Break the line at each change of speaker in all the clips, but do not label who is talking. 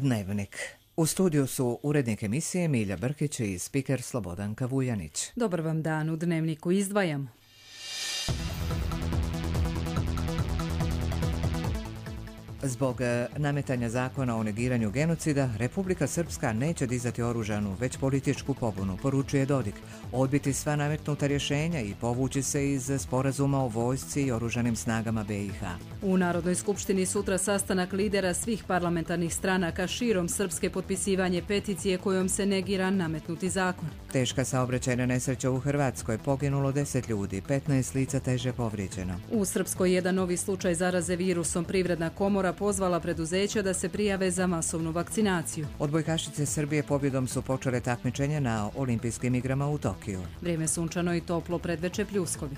Dnevnik. U studiju su urednik emisije Milja Brkić i spiker Slobodanka Vuljanić.
Dobar vam dan, u Dnevniku izdvajamo.
Zbog nametanja zakona o negiranju genocida, Republika Srpska neće dizati oružanu, već političku pobunu, poručuje Dodik, odbiti sva nametnuta rješenja i povući se iz sporazuma o vojsci i oružanim snagama BiH.
U Narodnoj skupštini sutra sastanak lidera svih parlamentarnih stranaka širom Srpske, potpisivanje peticije kojom se negira nametnuti zakon.
Teška saobraćajna nesreća u Hrvatskoj, poginulo 10 ljudi, 15 lica teže povrijeđeno.
U Srpskoj jedan novi slučaj zaraze virusom. Privredna komora pozvala preduzeća da se prijave za masovnu vakcinaciju.
Odbojkašice Srbije pobjedom su počele takmičenje na olimpijskim igrama u Tokiju.
Vrijeme sunčano i toplo, predveče pljuskovi.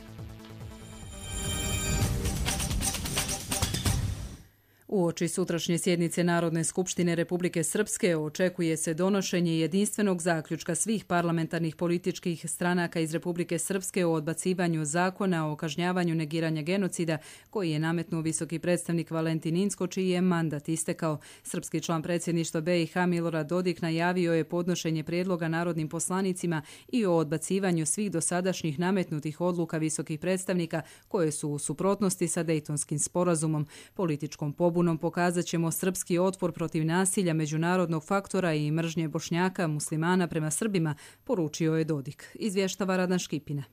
Uoči sutrašnje sjednice Narodne skupštine Republike Srpske očekuje se donošenje jedinstvenog zaključka svih parlamentarnih političkih stranaka iz Republike Srpske o odbacivanju zakona o kažnjavanju negiranja genocida koji je nametnuo visoki predstavnik Valentin Incko, čiji je mandat istekao. Srpski član predsjedništva BiH Milorad Dodik najavio je podnošenje prijedloga narodnim poslanicima i o odbacivanju svih dosadašnjih nametnutih odluka visokih predstavnika koje su u suprotnosti sa Dejtonskim sporazumom. Političkom pobunom pokazat ćemo srpski otpor protiv nasilja, međunarodnog faktora i mržnje Bošnjaka, muslimana prema Srbima, poručio je Dodik. Izvještava Radan Škipina.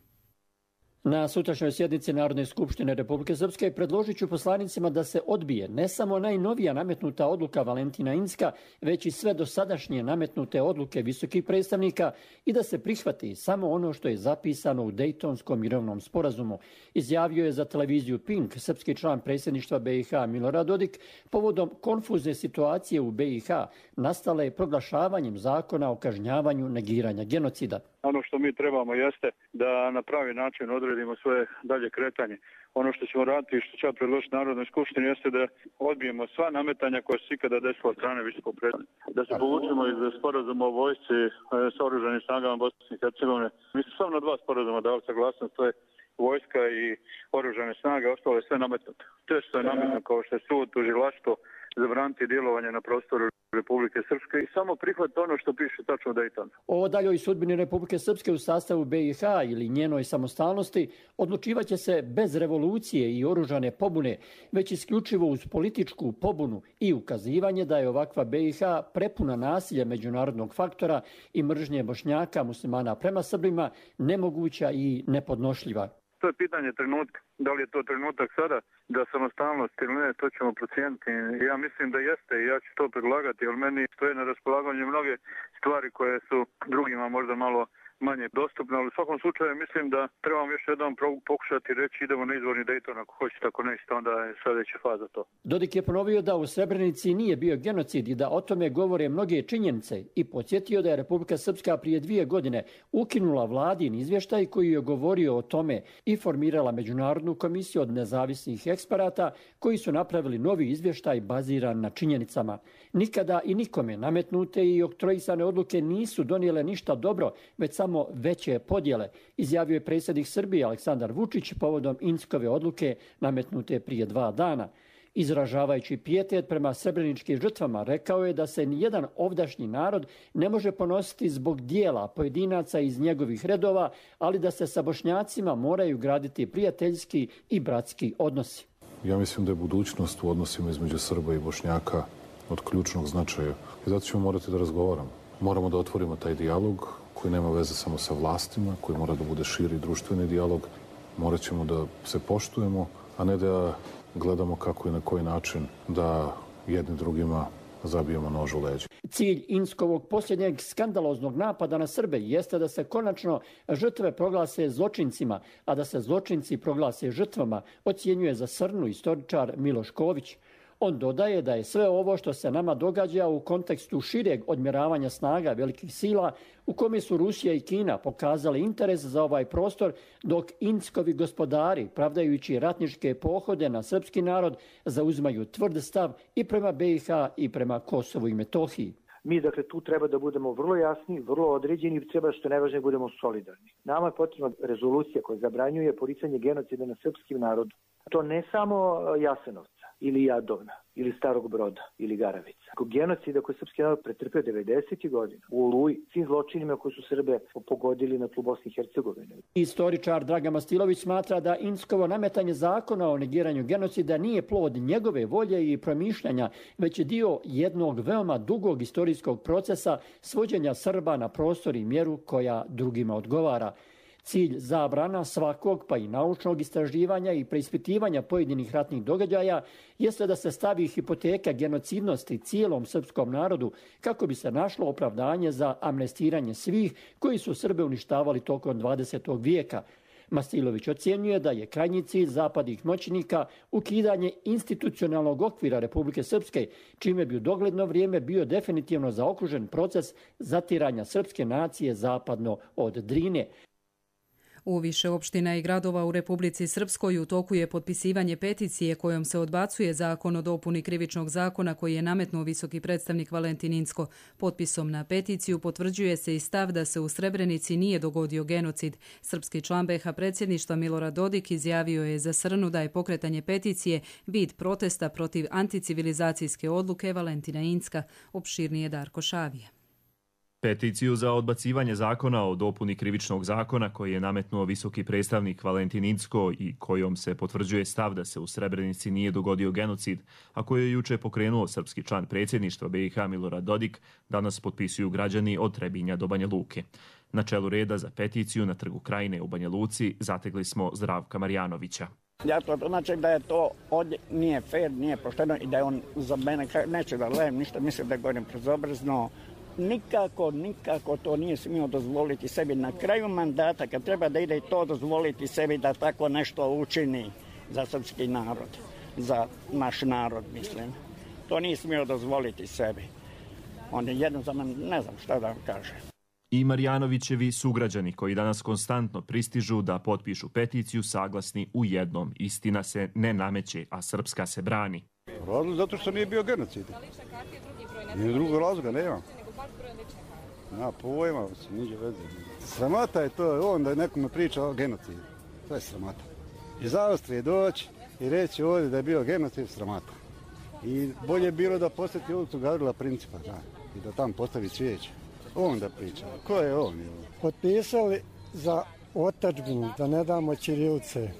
Na sutrašnjoj sjednici Narodne skupštine Republike Srpske predložit ću poslanicima da se odbije ne samo najnovija nametnuta odluka Valentina Incka, već i sve dosadašnje nametnute odluke visokih predstavnika i da se prihvati samo ono što je zapisano u Dejtonskom mirovnom sporazumu, izjavio je za televiziju Pink srpski član predsjedništva BiH Milorad Dodik povodom konfuzne situacije u BiH nastale proglašavanjem zakona o kažnjavanju negiranja genocida.
Ono što mi trebamo jeste da na pravi način odredimo svoje dalje kretanje. Ono što ćemo raditi i što će predložiti Narodnoj skupštini jeste da odbijemo sva nametanja koja su ikada desila od strane visokog predstavnika. Da se povučemo iz sporazuma o vojsci s oružanim snagama Bosne i Hercegovine. Mi smo samo na 2 sporazuma dali saglasnost, to je vojska i oružane snage, ostalo je sve nametnuto. To što je nametnuto kao što je sud, tužilaštvo, zabraniti djelovanje na prostoru Republike Srpske i samo prihvatiti ono što piše tačno u Dejtonu.
O daljoj sudbini Republike Srpske u sastavu BiH ili njenoj samostalnosti odlučivaće se bez revolucije i oružane pobune, već isključivo uz političku pobunu i ukazivanje da je ovakva BiH prepuna nasilja međunarodnog faktora i mržnje Bošnjaka, muslimana prema Srbima, nemoguća i nepodnošljiva.
To je pitanje trenutka. Da li je to trenutak sada da samostalnost ili ne, to ćemo procijeniti. Ja mislim da jeste i ja ću to predlagati, jer meni stoje na raspolaganju mnoge stvari koje su drugima možda malo manje dostupne, ali u svakom slučaju mislim da trebamo još jednom pokušati reći idemo na izvorni Dejton, ako hoćete, ako nećete, onda je sljedeća faza to.
Dodik je ponovio da u Srebrenici nije bio genocid i da o tome govore mnoge činjenice i podsjetio da je Republika Srpska prije 2 godine ukinula vladin izvještaj koji je govorio o tome i formirala međunarodnu komisiju od nezavisnih eksperata koji su napravili novi izvještaj baziran na činjenicama. Nikada i nikome nametnute i oktroisane odluke nisu donijele ništa dobro, već samo veće podjele, izjavio je predsjednik Srbije Aleksandar Vučić povodom Inckove odluke nametnute prije 2 dana. Izražavajući pijetet prema srebreničkim žrtvama, rekao je da se nijedan ovdašnji narod ne može ponositi zbog dijela pojedinaca iz njegovih redova, ali da se sa Bošnjacima moraju graditi prijateljski i bratski odnosi.
Ja mislim da je budućnost u odnosima između Srba i Bošnjaka od ključnog značaja. I zato ćemo morati da razgovaramo. Moramo da otvorimo taj dijalog koji nema veze samo sa vlastima, koji mora da bude širi društveni dijalog. Morat ćemo da se poštujemo, a ne da gledamo kako i na koji način da jedni drugima zabijemo nož u leđa.
Cilj Inckovog posljednjeg skandaloznog napada na Srbe jeste da se konačno žrtve proglase zločincima, a da se zločinci proglase žrtvama, ocjenjuje za Srnu istoričar Miloš Ković. On dodaje da je sve ovo što se nama događa u kontekstu šireg odmjeravanja snaga velikih sila u kome su Rusija i Kina pokazali interes za ovaj prostor, dok Inckovi gospodari, pravdajući ratničke pohode na srpski narod, zauzimaju tvrd stav i prema BiH i prema Kosovu i Metohiji.
Mi, dakle, tu treba da budemo vrlo jasni, vrlo određeni i treba što najvažnije budemo solidarni. Nama je potrebna rezolucija koja zabranjuje poricanje genocida na srpskim narodu. To ne samo Jasenovca, ili Jadovna ili Starog Broda ili Garavica. Genocida koji je srpski narod pretrpeo 90. godina u Oluji, svim zločinima koji su Srbe pogodili na tlu Bosne i Hercegovine.
Istoričar Dragan Mastilović smatra da Inckovo nametanje zakona o negiranju genocida nije plod njegove volje i promišljanja, već je dio jednog veoma dugog istorijskog procesa svođenja Srba na prostor i mjeru koja drugima odgovara. Cilj zabrana svakog, pa i naučnog istraživanja i preispitivanja pojedinih ratnih događaja jeste da se stavi hipoteka genocidnosti cijelom srpskom narodu kako bi se našlo opravdanje za amnestiranje svih koji su Srbe uništavali tokom 20. vijeka. Mastilović ocjenjuje da je krajnji cilj zapadnih moćnika ukidanje institucionalnog okvira Republike Srpske, čime bi u dogledno vrijeme bio definitivno zaokružen proces zatiranja srpske nacije zapadno od Drine.
U više opština i gradova u Republici Srpskoj u toku je potpisivanje peticije kojom se odbacuje zakon o dopuni krivičnog zakona koji je nametnuo visoki predstavnik Valentin Incko. Potpisom na peticiju potvrđuje se i stav da se u Srebrenici nije dogodio genocid. Srpski član BiH predsjedništva Milorad Dodik izjavio je za Srnu da je pokretanje peticije vid protesta protiv anticivilizacijske odluke Valentina Incka. Opširnije Darko Šavije.
Peticiju za odbacivanje zakona o dopuni krivičnog zakona koji je nametnuo visoki predstavnik Valentin Incko i kojom se potvrđuje stav da se u Srebrenici nije dogodio genocid, a koji je juče pokrenuo srpski član predsjedništva BiH Milorad Dodik, danas potpisuju građani od Trebinja do Banja Luke. Na čelu reda za peticiju na Trgu Krajine u Banja Luci zategli smo Zdravka Marjanovića.
Ja to tumačim da je to ovdje nije fair, nije pošteno i da je on za mene, neće da lejem ništa, mislim da govorim prezobrazno. Nikako to nije smio dozvoliti sebi na kraju mandata, kad treba da ide i to dozvoliti sebi da tako nešto učini za srpski narod, za naš narod, mislim. To nije smio dozvoliti sebi. On je jednostavno, ne znam šta da vam kaže.
I Marjanovićevi sugrađani koji danas konstantno pristižu da potpišu peticiju saglasni u jednom. Istina se ne nameće, a srpska se brani.
Razlog zato što nije bio genocid. Nije drugog razloga, nema. Na pojma, niđe veze. Sramota je to, on da nekome priča o genocidu. To je sramota. Iz Austrije doći i reći ovdje da je bio genocid, sramota. I bolje je bilo da posjeti ulicu Gavrila Principa, da, i da tam postavi cvijeće. On da priča. Ko je on?
Potpisali za otadžbinu, da ne damo ćirilice,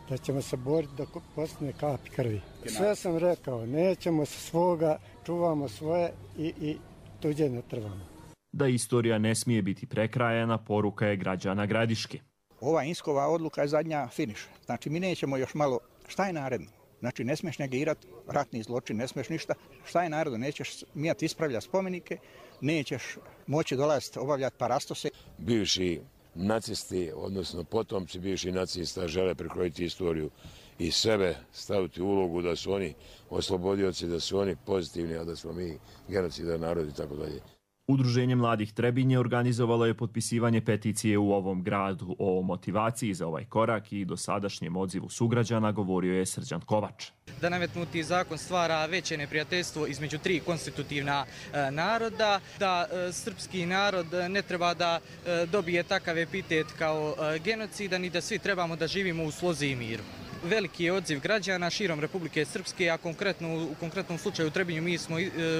da ćemo se boriti da postane kapi krvi. Sve sam rekao, nećemo se svoga, čuvamo svoje i tuđe ne trvamo.
Da istorija ne smije biti prekrajana, poruka je građana Gradiške.
Ova Inckova odluka je zadnja finiš. Znači mi nećemo još malo, šta je naredno? Znači ne smiješ negirati ratni zločin, ne smiješ ništa. Šta je naredno? Nećeš smijati ispravljati spomenike, nećeš moći dolaziti obavljati parastose.
Bivši nacisti, odnosno potomci bivših nacista žele prekrojiti istoriju i sebe staviti u ulogu da su oni oslobodioci, da su oni pozitivni, a da smo mi genocidan narod i tako dalje.
Udruženje mladih Trebinje organizovalo je potpisivanje peticije u ovom gradu. O motivaciji za ovaj korak i dosadašnjem odzivu sugrađana govorio je Srđan Kovač.
Da nametnuti zakon stvara veće neprijateljstvo između tri konstitutivna naroda, da srpski narod ne treba da dobije takav epitet kao genocidan i da svi trebamo da živimo u slozi i miru. Veliki je odziv građana širom Republike Srpske, a u konkretnom slučaju u Trebinju mi smo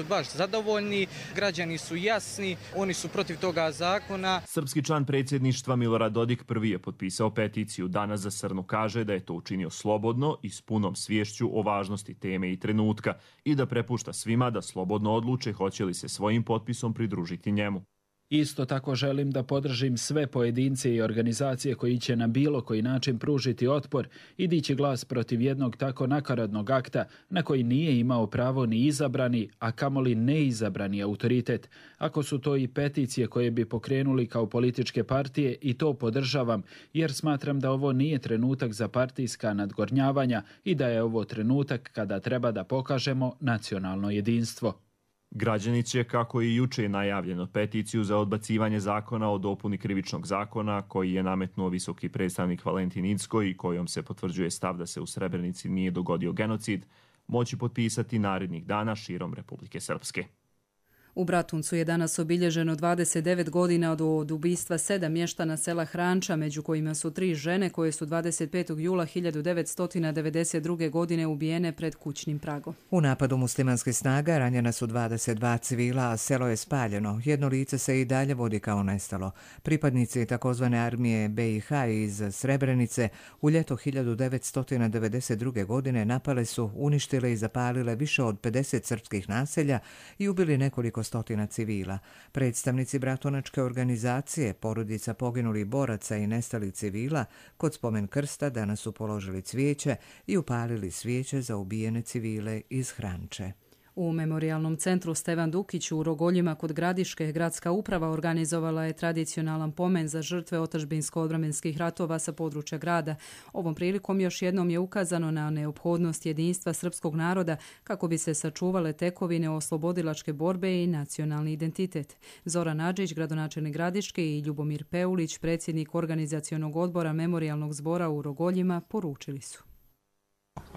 baš zadovoljni. Građani su jasni, oni su protiv toga zakona.
Srpski član predsjedništva Milorad Dodik prvi je potpisao peticiju. Danas za Srnu kaže da je to učinio slobodno i s punom sviješću o važnosti teme i trenutka i da prepušta svima da slobodno odluče hoće li se svojim potpisom pridružiti njemu.
Isto tako želim da podržim sve pojedince i organizacije koji će na bilo koji način pružiti otpor i dići glas protiv jednog tako nakaradnog akta na koji nije imao pravo ni izabrani, a kamoli neizabrani autoritet. Ako su to i peticije koje bi pokrenuli kao političke partije, i to podržavam, jer smatram da ovo nije trenutak za partijska nadgornjavanja i da je ovo trenutak kada treba da pokažemo nacionalno jedinstvo.
Građani će, kako i juče najavljeno, peticiju za odbacivanje zakona o dopuni krivičnog zakona koji je nametnuo visoki predstavnik Valentin Incko i kojom se potvrđuje stav da se u Srebrenici nije dogodio genocid, moći potpisati narednih dana širom Republike Srpske.
U Bratuncu je danas obilježeno 29 godina od ubistva 7 mještana sela Hranča, među kojima su 3 žene koje su 25. jula 1992. godine ubijene pred kućnim pragom.
U napadu muslimanskih snaga ranjena su 22 civila, a selo je spaljeno. Jedno lice se i dalje vodi kao nestalo. Pripadnici takozvane armije BiH iz Srebrenice u ljeto 1992. godine napale su, uništile i zapalile više od 50 srpskih naselja i ubili nekoliko stotina civila. Predstavnici bratunačke organizacije, porodica poginulih boraca i nestalih civila, kod spomen krsta danas su položili cvijeće i upalili svijeće za ubijene civile iz Hranče.
U Memorijalnom centru Stevan Dukić u Rogoljima kod Gradiške gradska uprava organizovala je tradicionalan pomen za žrtve otadžbinsko-odbrambenskih ratova sa područja grada. Ovom prilikom još jednom je ukazano na neophodnost jedinstva srpskog naroda kako bi se sačuvale tekovine oslobodilačke borbe i nacionalni identitet. Zoran Adžić, gradonačelnik Gradiške, i Ljubomir Peulić, predsjednik organizacionog odbora Memorijalnog zbora u Rogoljima, poručili su.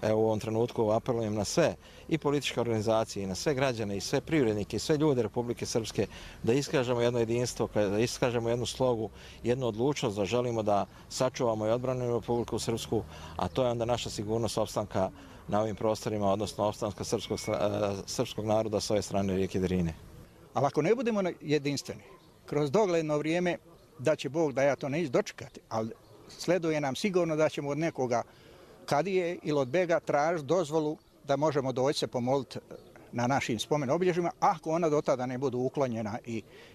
Evo u ovom trenutku apelujem na sve i političke organizacije, i na sve građane, i sve privrednike, i sve ljude Republike Srpske da iskažemo jedno jedinstvo, da iskažemo jednu slogu, jednu odlučnost da želimo da sačuvamo i odbranimo Republiku Srpsku, a to je onda naša sigurnost opstanka na ovim prostorima, odnosno opstanka srpskog naroda s ove strane rijeke Drine.
Ali ako ne budemo jedinstveni, kroz dogledno vrijeme da će Bog da ja to neću dočekati, ali sleduje nam sigurno da ćemo od nekoga kadije ili od bega traži dozvolu da možemo doći se pomoliti na našim spomen obilježjima, ako ona do tada ne budu uklonjena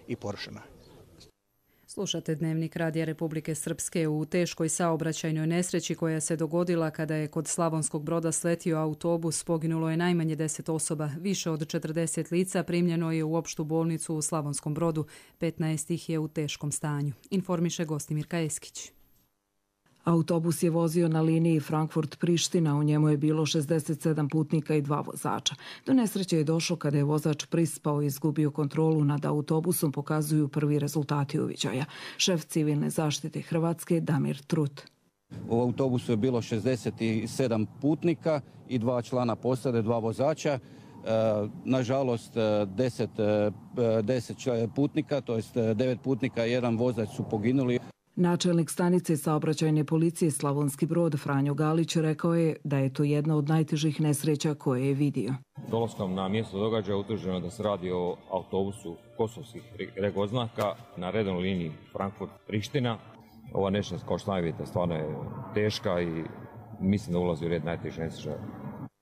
i porušena.
Slušate Dnevnik Radija Republike Srpske. U teškoj saobraćajnoj nesreći koja se dogodila kada je kod Slavonskog Broda sletio autobus, poginulo je najmanje 10 osoba. Više od 40 lica primljeno je u opštu bolnicu u Slavonskom Brodu. 15 ih je u teškom stanju. Informiše Gostimir Kajeskić.
Autobus je vozio na liniji Frankfurt-Priština, u njemu je bilo 67 putnika i 2 vozača. Do nesreće je došlo kada je vozač prispao i izgubio kontrolu nad autobusom, pokazuju prvi rezultati uviđaja. Šef civilne zaštite Hrvatske Damir Trut.
U autobusu je bilo 67 putnika i 2 člana posade, 2 vozača. Nažalost, 10 putnika, to jest 9 putnika i 1 vozač su poginuli.
Načelnik stanice saobraćajne policije Slavonski Brod Franjo Galić rekao je da je to jedna od najtežih nesreća koje je vidio.
Dolaskom na mjesto događaja utvrđeno da se radi o autobusu kosovskih regoznaka na redovnoj liniji Frankfurt-Priština. Ova nesreća, kao što najvidite, stvarno je teška i mislim da ulazi u red najtežih nesreća.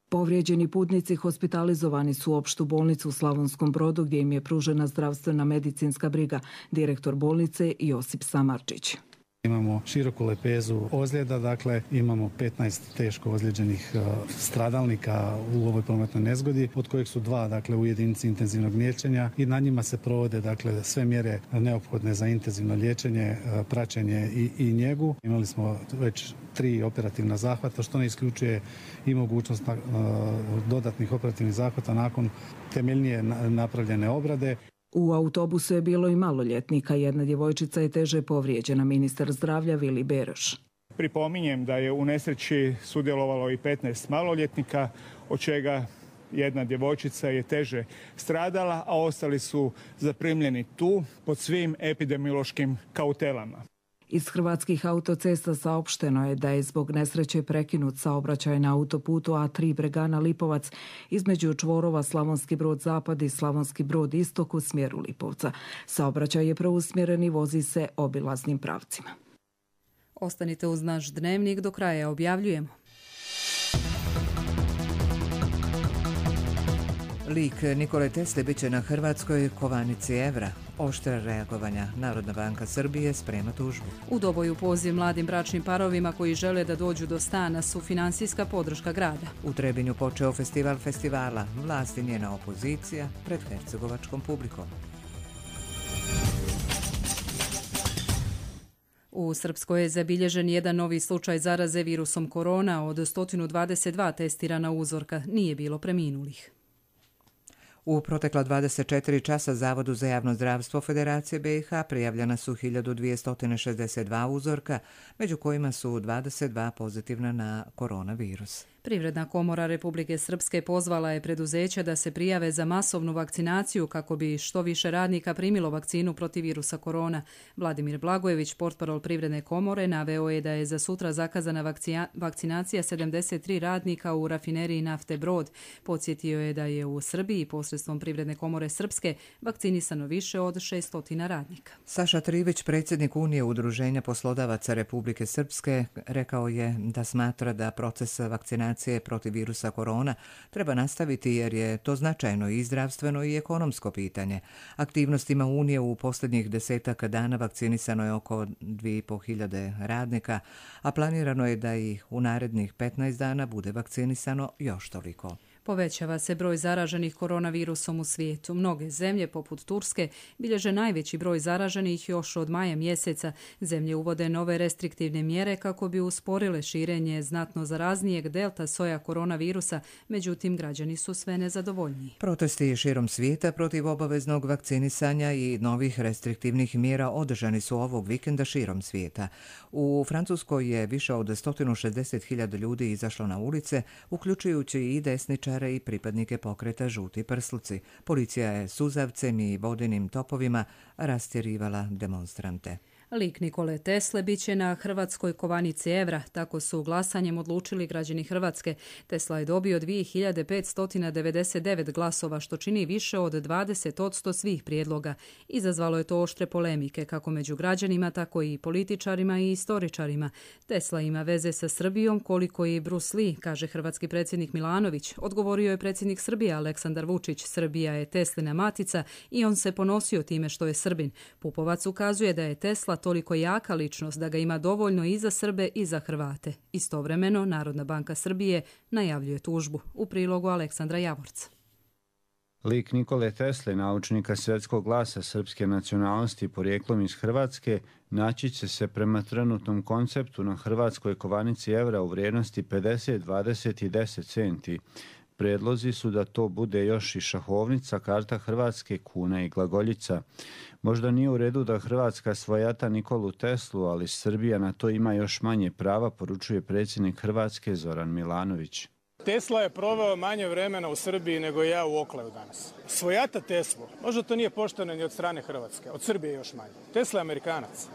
Povrijeđeni putnici hospitalizovani su u opštu bolnicu u Slavonskom Brodu gdje im je pružena zdravstvena medicinska briga. Direktor bolnice Josip Samarčić.
Imamo široku lepezu ozljeda, dakle imamo 15 teško ozlijeđenih stradalnika u ovoj prometnoj nezgodi, od kojih su 2 dakle u jedinici intenzivnog liječenja i na njima se provode dakle sve mjere neophodne za intenzivno liječenje, praćenje i njegu. Imali smo već 3 operativna zahvata, što ne isključuje i mogućnost dodatnih operativnih zahvata nakon temeljnije napravljene obrade.
U autobusu je bilo i maloljetnika, jedna djevojčica je teže povrijeđena, ministar zdravlja Vili Beroš.
Pripominjem da je u nesreći sudjelovalo i 15 maloljetnika, od čega jedna djevojčica je teže stradala, a ostali su zaprimljeni tu pod svim epidemiološkim kautelama.
Iz Hrvatskih autocesta saopšteno je da je zbog nesreće prekinut saobraćaj na autoputu A3 Bregana Lipovac između čvorova Slavonski Brod Zapad i Slavonski Brod Istok u smjeru Lipovca. Saobraćaj je preusmjeren i vozi se obilaznim pravcima.
Ostanite uz naš Dnevnik, do kraja objavljujemo.
Lik Nikole Tesle bit će na hrvatskoj kovanici evra. Oštra reagovanja. Narodna banka Srbije sprema tužbu.
U Doboju poziv mladim bračnim parovima koji žele da dođu do stana su finansijska podrška grada.
U Trebinju počeo festival festivala. Vlast i njena opozicija pred hercegovačkom publikom.
U Srpskoj je zabilježen jedan novi slučaj zaraze virusom korona. Od 122 testirana uzorka nije bilo preminulih.
U protekla 24 časa Zavodu za javno zdravstvo Federacije BiH prijavljena su 1262 uzorka, među kojima su 22 pozitivna na koronavirus.
Privredna komora Republike Srpske pozvala je preduzeća da se prijave za masovnu vakcinaciju kako bi što više radnika primilo vakcinu protiv virusa korona. Vladimir Blagojević, portparol Privredne komore, naveo je da je za sutra zakazana vakcinacija 73 radnika u rafineriji nafte Brod. Podsjetio je da je u Srbiji posredstvom Privredne komore Srpske vakcinisano više od 600 radnika.
Saša Trivić, predsjednik Unije udruženja poslodavaca Republike Srpske, rekao je da smatra da proces vakcinacije protiv virusa korona treba nastaviti jer je to značajno i zdravstveno i ekonomsko pitanje. Aktivnostima Unije u posljednjih 10 dana vakcinisano je oko 2500 radnika, a planirano je da ih u narednih 15 dana bude vakcinisano još toliko.
Povećava se broj zaraženih koronavirusom u svijetu. Mnoge zemlje, poput Turske, bilježe najveći broj zaraženih još od maja mjeseca. Zemlje uvode nove restriktivne mjere kako bi usporile širenje znatno zaraznijeg delta soja koronavirusa, međutim građani su sve nezadovoljniji.
Protesti širom svijeta protiv obaveznog vakcinisanja i novih restriktivnih mjera održani su ovog vikenda širom svijeta. U Francuskoj je više od 160.000 ljudi izašlo na ulice, uključujući i desničare i pripadnike pokreta Žuti prsluci. Policija je suzavcem i vodenim topovima rastjerivala demonstrante.
Lik Nikole Tesle biće na hrvatskoj kovanici evra, tako su glasanjem odlučili građani Hrvatske. Tesla je dobio 2599 glasova, što čini više od 20% svih prijedloga. Izazvalo je to oštre polemike, kako među građanima, tako i političarima i istoričarima. Tesla ima veze sa Srbijom koliko i Bruce Lee, kaže hrvatski predsjednik Milanović. Odgovorio je predsjednik Srbije Aleksandar Vučić. Srbija je Teslina matica i on se ponosio time što je Srbin. Pupovac ukazuje da je Tesla toliko jaka ličnost da ga ima dovoljno i za Srbe i za Hrvate. Istovremeno, Narodna banka Srbije najavljuje tužbu. U prilogu Aleksandra Javorca.
Lik Nikole Tesle, naučnika svjetskog glasa srpske nacionalnosti porijeklom iz Hrvatske, naći će se prema trenutnom konceptu na hrvatskoj kovanici evra u vrijednosti 50, 20 i 10 centi. Predlozi su da to bude još i šahovnica, karta Hrvatske, kuna i glagoljica. Možda nije u redu da Hrvatska svojata Nikolu Teslu, ali Srbija na to ima još manje prava, poručuje predsjednik Hrvatske Zoran Milanović.
Tesla je proveo manje vremena u Srbiji nego ja u Oklaju danas. Svojata Teslu, možda to nije pošteno ni od strane Hrvatske, od Srbije još manje. Tesla je Amerikanac.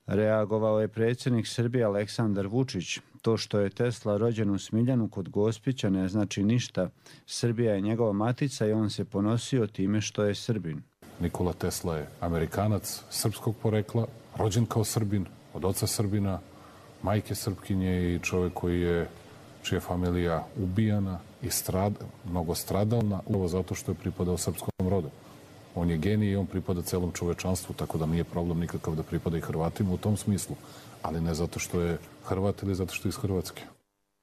Reagovao je predsjednik Srbije Aleksandar Vučić. To što je Tesla rođen u Smiljanu kod Gospića ne znači ništa. Srbija je njegova matica i on se ponosio time što je Srbin.
Nikola Tesla je Amerikanac srpskog porekla, rođen kao Srbin, od oca Srbina, majke Srpkinje i čovjek čija je familija ubijana i mnogo stradalna, upravo zato što je pripadao srpskom rodu. On je genij i on pripada celom čovečanstvu, tako da nije problem nikakav da pripada i Hrvatima u tom smislu, ali ne zato što je Hrvat ili zato što je iz Hrvatske.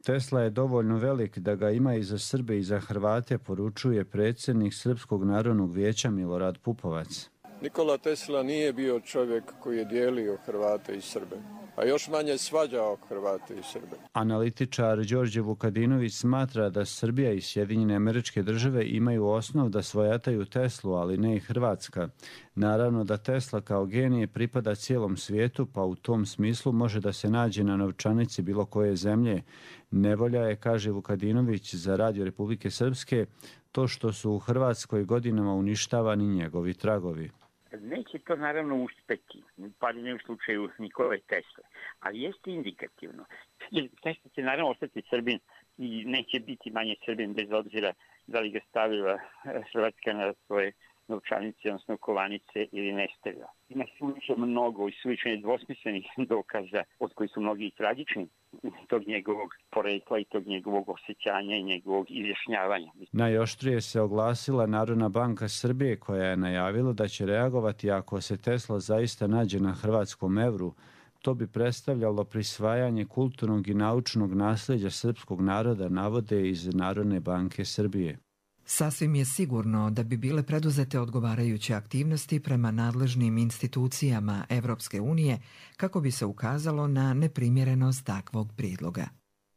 Tesla je dovoljno velik da ga ima i za Srbe i za Hrvate, poručuje predsjednik Srpskog narodnog vijeća Milorad Pupovac.
Nikola Tesla nije bio čovjek koji je dijelio Hrvate i Srbe, a još manje svađao Hrvate i Srbe.
Analitičar Đorđe Vukadinović smatra da Srbija i Sjedinjene Američke Države imaju osnov da svojataju Teslu, ali ne i Hrvatska. Naravno da Tesla kao genije pripada cijelom svijetu, pa u tom smislu može da se nađe na novčanici bilo koje zemlje. Nevolja je, kaže Vukadinović za Radio Republike Srpske, to što su u Hrvatskoj godinama uništavani njegovi tragovi.
Neće to naravno uspeti, pa ne u slučaju Nikole Tesle, ali jeste indikativno. Tesla će naravno ostati Srbin i neće biti manje Srbin bez obzira da li ga stavila Hrvatska na svoje novčanice, odnosno kovanice ili ne stavila. Ima suviše mnogo i suviše nedvosmislenih dokaza, od koji su mnogi i tragični, tog njegovog porekla i tog njegovog osjećanja i njegovog izjašnjavanja.
Najoštrije se oglasila Narodna banka Srbije, koja je najavila da će reagovati ako se Tesla zaista nađe na hrvatskom evru. To bi predstavljalo prisvajanje kulturnog i naučnog nasljeđa srpskog naroda, navode iz Narodne banke Srbije.
Sasvim je sigurno da bi bile preduzete odgovarajuće aktivnosti prema nadležnim institucijama Evropske unije kako bi se ukazalo na neprimjerenost takvog prijedloga.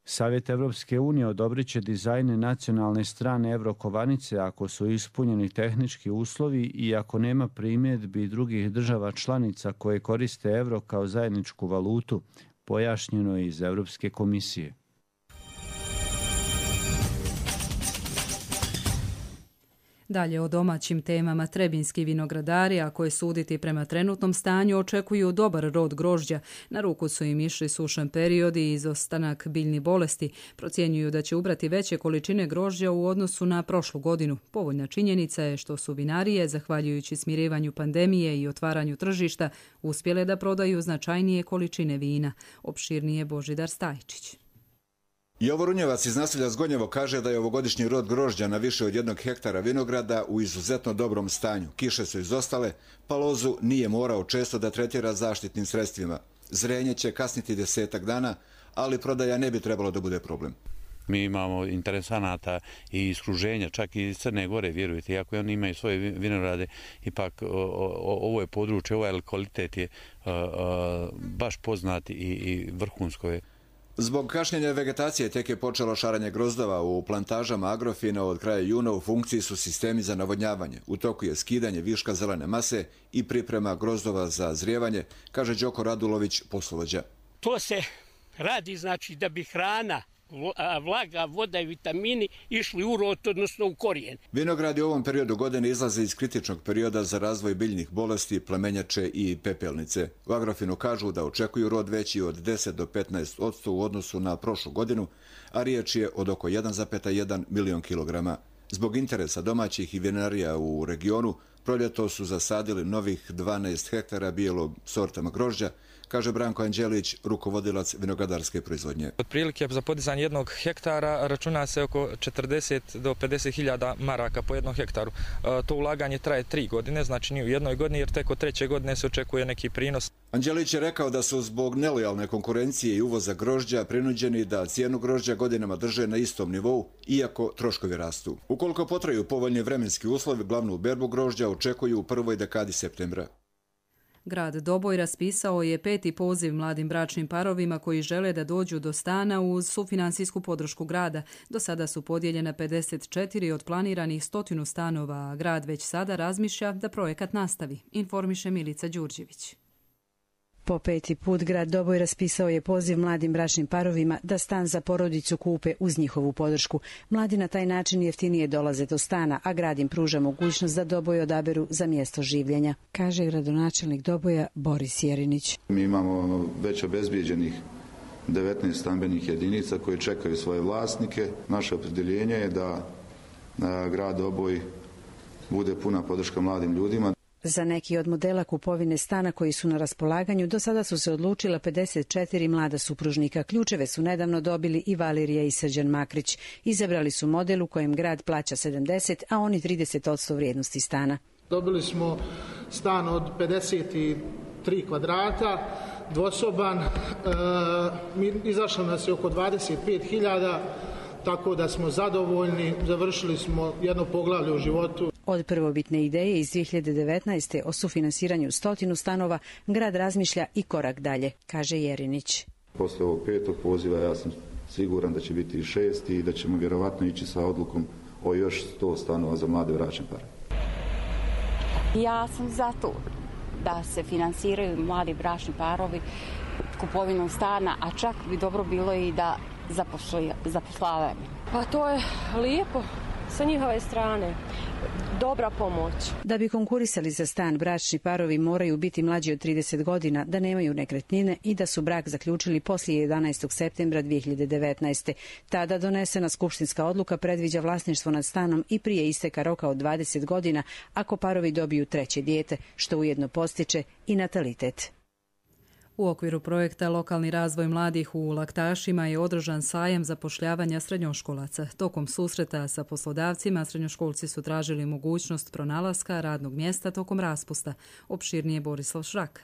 Savjet Evropske unije odobrit će dizajne nacionalne strane evrokovanice ako su ispunjeni tehnički uslovi i ako nema primjedbi drugih država članica koje koriste evro kao zajedničku valutu, pojašnjeno je iz Europske komisije.
Dalje o domaćim temama, trebinski vinogradari, ako je suditi prema trenutnom stanju, očekuju dobar rod grožđa. Na ruku su im išli sušan period i izostanak biljnih bolesti. Procjenjuju da će ubrati veće količine grožđa u odnosu na prošlu godinu. Povoljna činjenica je što su vinarije, zahvaljujući smirivanju pandemije i otvaranju tržišta, uspjele da prodaju značajnije količine vina. Opširnije Božidar Stajčić.
Jovo Runjevac iz naselja Zgonjevo kaže da je ovogodišnji rod grožđa na više od 1 hektara vinograda u izuzetno dobrom stanju. Kiše su izostale, pa lozu nije morao često da tretira zaštitnim sredstvima. Zrenje će kasniti 10-ak dana, ali prodaja ne bi trebalo da bude problem.
Mi imamo interesanata i iskruženja, čak i iz Crne Gore, vjerujte, iako oni imaju svoje vinograde, ipak ovo je područje, ovaj kvalitet je baš poznat i vrhunsko je.
Zbog kašnjenja vegetacije tek je počelo šaranje grozdova u plantažama Agrofina. Od kraja juna u funkciji su sistemi za navodnjavanje. U toku je skidanje viška zelene mase i priprema grozdova za zrijevanje, kaže Đoko Radulović, poslovođa.
To se radi znači da bi hrana, vlaga, voda i vitamini išli u rod, odnosno u korijen.
Vinogradi u ovom periodu godine izlaze iz kritičnog perioda za razvoj biljnih bolesti, plemenjače i pepelnice. U Agrofinu kažu da očekuju rod veći od 10 do 15% u odnosu na prošlu godinu, a riječ je od oko 1,1 milion kilograma. Zbog interesa domaćih i vinarija u regionu, proljeto su zasadili novih 12 hektara bijelog sortama grožđa, kaže Branko Anđelić, rukovodilac vinogradarske proizvodnje.
Otprilike za podizanje 1 hektara računa se oko 40 do 50 hiljada maraka po 1 hektaru. To ulaganje traje 3 godine, znači nije u 1 godini, jer tek od 3. godine se očekuje neki prinos.
Anđelić je rekao da su zbog nelojalne konkurencije i uvoza grožđa prinuđeni da cijenu grožđa godinama drže na istom nivou, iako troškovi rastu. Ukoliko potraju povoljni vremenski uslovi, glavnu berbu grožđa očekuju u prvoj dekadi septembra.
Grad Doboj raspisao je 5. poziv mladim bračnim parovima koji žele da dođu do stana uz sufinansijsku podršku grada. Do sada su podijeljena 54 od planiranih 100 stanova, a grad već sada razmišlja da projekat nastavi, informiše Milica Đurđević.
Po 5. put grad Doboj raspisao je poziv mladim bračnim parovima da stan za porodicu kupe uz njihovu podršku. Mladi na taj način jeftinije dolaze do stana, a grad im pruža mogućnost da Doboj odaberu za mjesto življenja, kaže gradonačelnik Doboja Boris Jerinić.
Mi imamo već obezbijeđenih 19 stambenih jedinica koje čekaju svoje vlasnike. Naše opredjeljenje je da grad Doboj bude puna podrška mladim ljudima.
Za neki od modela kupovine stana koji su na raspolaganju do sada su se odlučila 54 mlada supružnika. Ključeve su nedavno dobili i Valerija i Srđan Makrić. Izabrali su model u kojem grad plaća 70, a oni 30% vrijednosti stana.
Dobili smo stan od 53 kvadrata, dvosoban, izašlo nas je oko 25.000, tako da smo zadovoljni, završili smo jedno poglavlje u životu.
Od prvobitne ideje iz 2019. o sufinansiranju 100 stanova, grad razmišlja i korak dalje, kaže Jerinić.
Posle ovog 5. poziva ja sam siguran da će biti i 6. i da ćemo vjerovatno ići sa odlukom o još 100 stanova za mlade bračne pare.
Ja sam za to da se finansiraju mladi bračni parovi kupovinom stana, a čak bi dobro bilo i da zapošljavaju.
Pa to je lijepo sa njihove strane. Dobra pomoć.
Da bi konkurisali za stan, bračni parovi moraju biti mlađi od 30 godina, da nemaju nekretnine i da su brak zaključili poslije 11. septembra 2019. Tada donesena skupštinska odluka predviđa vlasništvo nad stanom i prije isteka roka od 20 godina ako parovi dobiju 3. dijete, što ujedno postiče i natalitet.
U okviru projekta Lokalni razvoj mladih u Laktašima je održan sajam zapošljavanja srednjoškolaca. Tokom susreta sa poslodavcima srednjoškolci su tražili mogućnost pronalaska radnog mjesta tokom raspusta. Opširnije Borislav Šrak.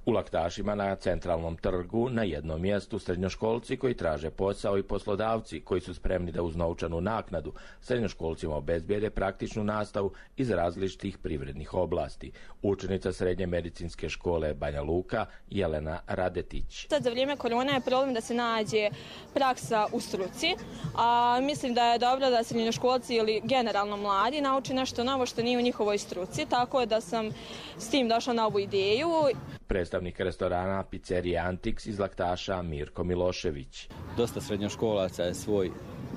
U
Laktašima na centralnom trgu na jednom mjestu srednjoškolci koji traže posao i poslodavci koji su spremni da uz novčanu naknadu srednjoškolcima obezbijede praktičnu nastavu iz različitih privrednih oblasti. Učenica Srednje medicinske škole Banja Luka Jelena Radetić.
Sad za vrijeme korone je problem da se nađe praksa u struci, a mislim da je dobro da srednjoškolci ili generalno mladi nauči nešto novo što nije u njihovoj struci, tako da sam s tim došla na ovu ideju.
Predstavnik restorana pizzerije Antiks iz Laktaša Mirko Milošević.
Dosta srednjoškolaca je svoj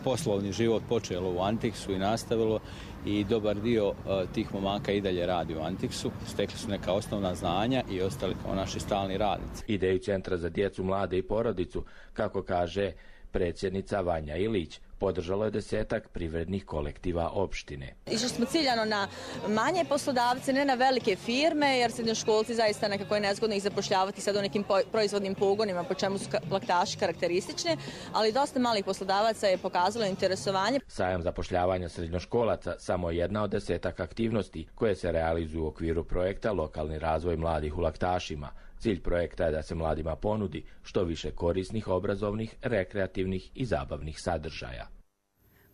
poslovni život počelo u Antiksu i nastavilo i dobar dio tih momaka i dalje radi u Antiksu. Stekli su neka osnovna znanja i ostali kao naši stalni radnici.
Ideju Centra za djecu, mlade i porodicu, kako kaže predsjednica Vanja Ilić, podržalo je 10-ak privrednih kolektiva opštine.
Išli smo ciljano na manje poslodavce, ne na velike firme, jer srednjoškolci zaista nekako je nezgodno ih zapošljavati sad u nekim proizvodnim pogonima, po čemu su Laktaši karakteristični, ali dosta malih poslodavaca je pokazalo interesovanje.
Sajam zapošljavanja srednjoškolaca samo je jedna od 10-ak aktivnosti koje se realizuju u okviru projekta Lokalni razvoj mladih u Laktašima. Cilj projekta je da se mladima ponudi što više korisnih, obrazovnih, rekreativnih i zabavnih sadržaja.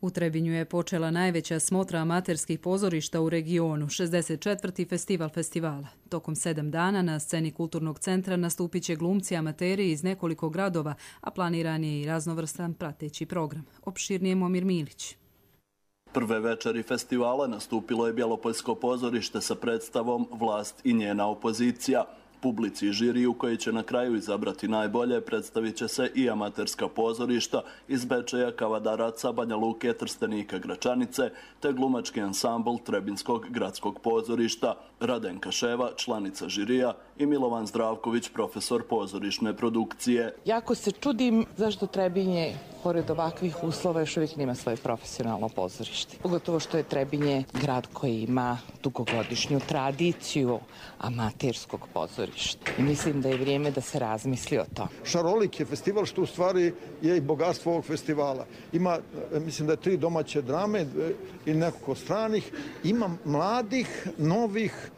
U Trebinju je počela najveća smotra amaterskih pozorišta u regionu, 64. festival festivala. Tokom 7 dana na sceni Kulturnog centra nastupit će glumci amateri iz nekoliko gradova, a planiran je i raznovrstan prateći program. Opširnije Momir Milić.
Prve večeri festivala nastupilo je Bjelopoljsko pozorište sa predstavom Vlast i njena opozicija. Publici i žiriju koji će na kraju izabrati najbolje predstavit će se i amaterska pozorišta iz Bečeja, Kavadaraca, Banja Luke, Trstenika, Gračanice, te glumački ansambl Trebinskog gradskog pozorišta. Radenka Ševa, članica žirija, i Milovan Zdravković, profesor pozorišne produkcije.
Jako se čudim zašto Trebinje, pored ovakvih uslova, još uvijek nema svoje profesionalno pozorište. Pogotovo što je Trebinje grad koji ima dugogodišnju tradiciju amaterskog pozorišta. I mislim da je vrijeme da se razmisli o tom.
Šarolik je festival što u stvari je i bogatstvo ovog festivala. Ima, mislim da je 3 domaće drame i nekoliko stranih. Ima mladih, novih,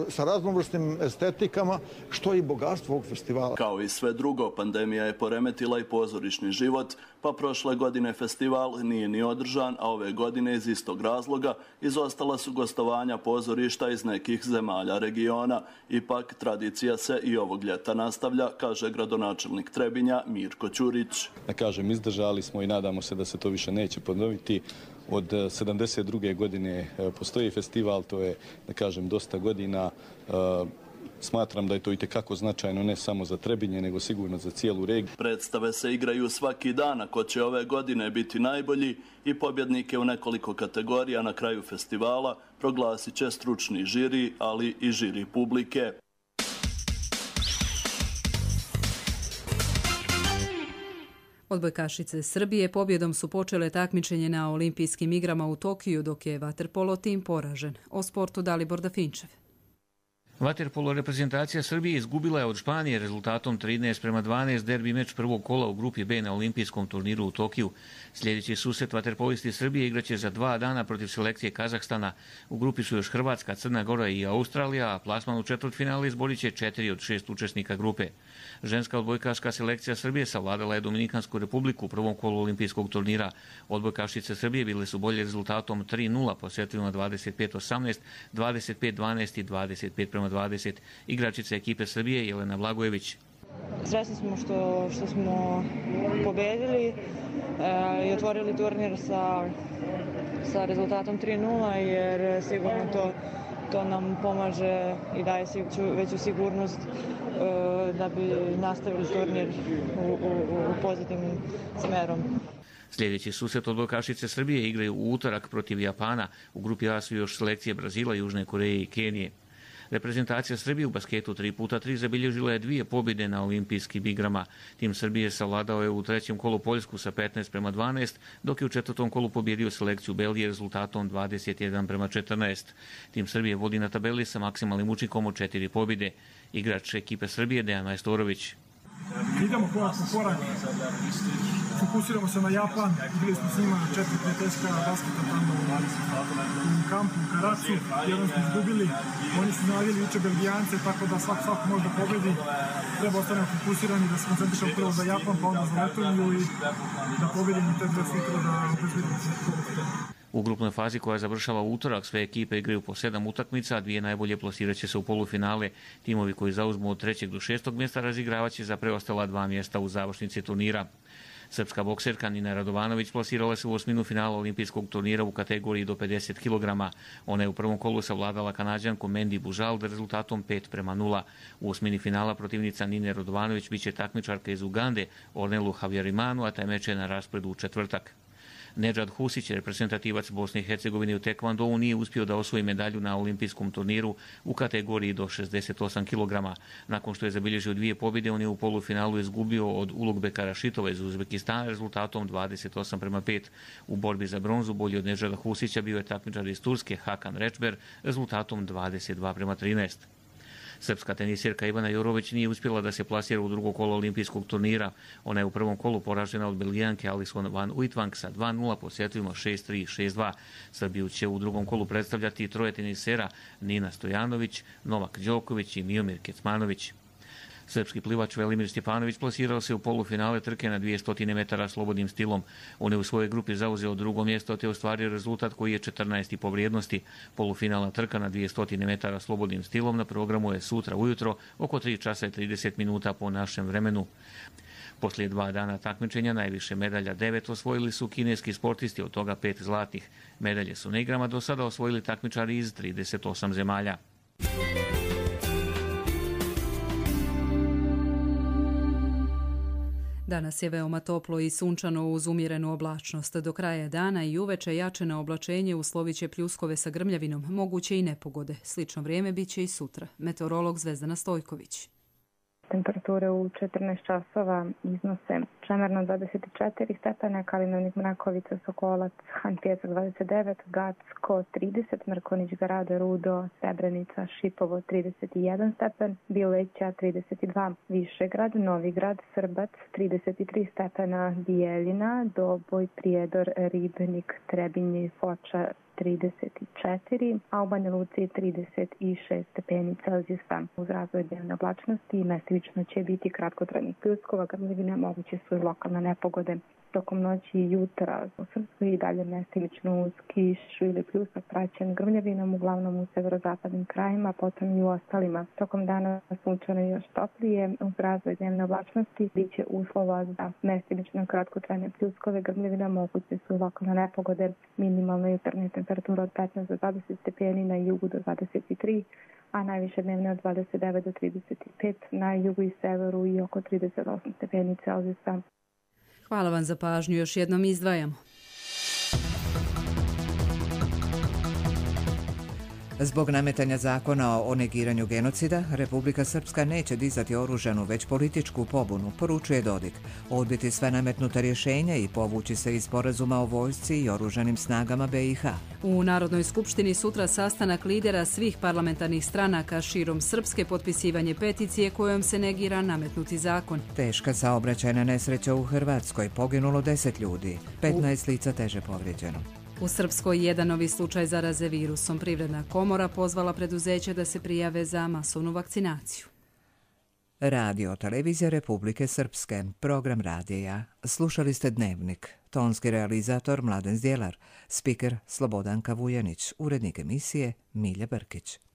sa raznovrsnim estetikama, što je i bogatstvo ovog festivala.
Kao i sve drugo, pandemija je poremetila i pozorišni život, pa prošle godine festival nije ni održan, a ove godine iz istog razloga izostala su gostovanja pozorišta iz nekih zemalja regiona. Ipak, tradicija se i ovog ljeta nastavlja, kaže gradonačelnik Trebinja Mirko Ćurić.
Da kažem, izdržali smo i nadamo se da se to više neće ponoviti. Od 72. godine postoji festival, to je, da kažem, dosta godina. Smatram da je to itekako značajno ne samo za Trebinje, nego sigurno za cijelu regiju.
Predstave se igraju svaki dan, a ko će ove godine biti najbolji i pobjednike u nekoliko kategorija na kraju festivala proglasit će stručni žiri, ali i žiri publike.
Odbojkašice Srbije pobjedom su počele takmičenje na olimpijskim igrama u Tokiju, dok je vaterpolo tim poražen. O sportu Dalibor Dafinčev.
Vaterpolo reprezentacija Srbije izgubila je od Španije rezultatom 13:12 derbi meč prvog kola u grupi B na olimpijskom turniru u Tokiju. Sljedeći susret vaterpolisti Srbije igraće za 2 dana protiv selekcije Kazahstana. U grupi su još Hrvatska, Crna Gora i Australija, a plasman u četvrtfinale izborit će 4 od 6 učesnika grupe. Ženska odbojkaška selekcija Srbije savladala je Dominikansku republiku u prvom kolu olimpijskog turnira. Odbojkašice Srbije bile su bolje rezultatom 3:0 po setovima 25:18, 25:12 i 25:20. Igračica ekipe Srbije Jelena Blagojević.
Srećni smo što smo pobedili i otvorili turnir sa rezultatom 3:0, jer sigurno to nam pomaže i daje veću sigurnost da bi nastavili turnir u pozitivnim smerom.
Sljedeći susret odbojkašice Srbije igraju u utorak protiv Japana. U grupi A su još selekcije Brazila, Južne Koreje i Kenije. Reprezentacija Srbije u basketu 3x3 zabilježila je 2 pobjede na olimpijskim igrama. Tim Srbije savladao je u 3. kolu Poljsku sa 15:12, dok je u 4. kolu pobjedio selekciju Belgije rezultatom 21:14. Tim Srbije vodi na tabeli sa maksimalnim učinkom od 4 pobjede. Igrač ekipe Srbije Dejan Majstorović.
idemo korak po korak, fokusiramo se na Japan, bili smo s njima 4 prijateljska basketa tamo u kampu u Karacu, jednom smo izgubili, oni su znadili uče Belgijance, tako da svako može da pobedi, treba ostanemo fokusirani da se koncentrišemo prvo za Japan, pa onda za Letoniju i da pobedimo te dve sutra da obezbedimo se.
U grupnoj fazi koja završava utorak, sve ekipe igraju po 7 utakmica, a 2 najbolje plasirat će se u polufinale. Timovi koji zauzmu od 3. do 6. mjesta razigravat će za preostala 2 mjesta u završnici turnira. Srpska bokserka Nina Radovanović plasirala se u osminu finala olimpijskog turnira u kategoriji do 50 kg. Ona je u prvom kolu savladala Kanađanku Mendi Bužald rezultatom 5:0. U osmini finala protivnica Nine Radovanović biće takmičarka iz Ugande Ornelu Havjarimanu, a taj meč je na rasporedu u četvrtak. Nedžad Husić, reprezentativac Bosne i Hercegovine u tekvandou, nije uspio da osvoji medalju na olimpijskom turniru u kategoriji do 68 kg. Nakon što je zabilježio 2 pobjede, on je u polufinalu izgubio od Ulugbeka Rašitova iz Uzbekistana rezultatom 28:5. U borbi za bronzu bolji od Nedžada Husića bio je takmičar iz Turske Hakan Rečber rezultatom 22:13. Srpska tenisirka Ivana Jorović nije uspjela da se plasira u drugo kolo olimpijskog turnira. Ona je u prvom kolu poražena od Belgijanke Alison van Uitvank sa 2:0 po setovima 6-3 i 6-2. Srbiju će u drugom kolu predstavljati troje tenisera Nina Stojanović, Novak Đoković i Miomir Kecmanović. Srpski plivač Velimir Stjepanović plasirao se u polufinale trke na 200 metara slobodnim stilom. On je u svojoj grupi zauzeo drugo mjesto te ostvario rezultat koji je 14. po vrijednosti. Polufinalna trka na 200 metara slobodnim stilom na programu je sutra ujutro oko 3:30 po našem vremenu. Poslije 2 dana takmičenja najviše medalja 9 osvojili su kineski sportisti, od toga 5 zlatnih. Medalje su na igrama do sada osvojili takmičari iz 38 zemalja.
Danas je veoma toplo i sunčano uz umjerenu oblačnost. Do kraja dana i uveče jačeno oblačenje uslovit će pljuskove sa grmljavinom, moguće i nepogode. Slično vrijeme bit će i sutra. Meteorolog Zvezdana Stojković.
Temperature u 14 časova iznose Čemerno 24 stepena, Kalinovnik, Mrakovica, Sokolac, Han Pjesak 29, Gacko 30, Mrkonić, Grada, Rudo, Srebrenica, Šipovo 31 stepen, Bileća 32, Višegrad, Novigrad, Srbac 33 stepena, Bijeljina, Doboj, Prijedor, Ribnik, Trebinje, Foča 34, a u Banja Luci 36 stepeni Celzijusa. Uz razvoj dnevne oblačnosti mestimično će biti kratkotrajnih pljuskova, grmljavine, moguće su i lokalne nepogode. Tokom noći i jutra u Srpskoj i dalje mestimično uz kišu ili pljusak praćen grmljavinom, uglavnom u severozapadnim krajima, potom i u ostalima. Tokom dana sunčano još toplije, uz razvoj dnevne oblačnosti bit će uslova za mestimično kratkotrajne pljuskove, grmljavina, moguće su i lokalne nepogode. Minimalna jutarnja temperatura od 15 do 20 stepeni, na jugu do 23, a najviše dnevne od 29 do 35, na jugu i severu i oko 38 stepeni Celzijusa.
Hvala vam za pažnju. Još jednom izdvajamo.
Zbog nametanja zakona o negiranju genocida, Republika Srpska neće dizati oružanu, već političku pobunu, poručuje Dodik, odbiti sve nametnuta rješenja i povući se iz sporazuma o vojsci i oružanim snagama BiH.
U Narodnoj skupštini sutra sastanak lidera svih parlamentarnih stranaka širom Srpske, potpisivanje peticije kojom se negira nametnuti zakon.
Teška saobraćajna nesreća u Hrvatskoj, poginulo 10 ljudi, 15 lica teže povrijeđeno.
U Srpskoj jedan novi slučaj zaraze virusom. Privredna komora pozvala preduzeće da se prijave za masovnu vakcinaciju.
Radio Televizija Republike Srpske, program radija. Slušali ste Dnevnik. Tonski realizator Mladen Zdjelar, spiker Slobodanka Vujanić, urednik emisije Milja Brkić.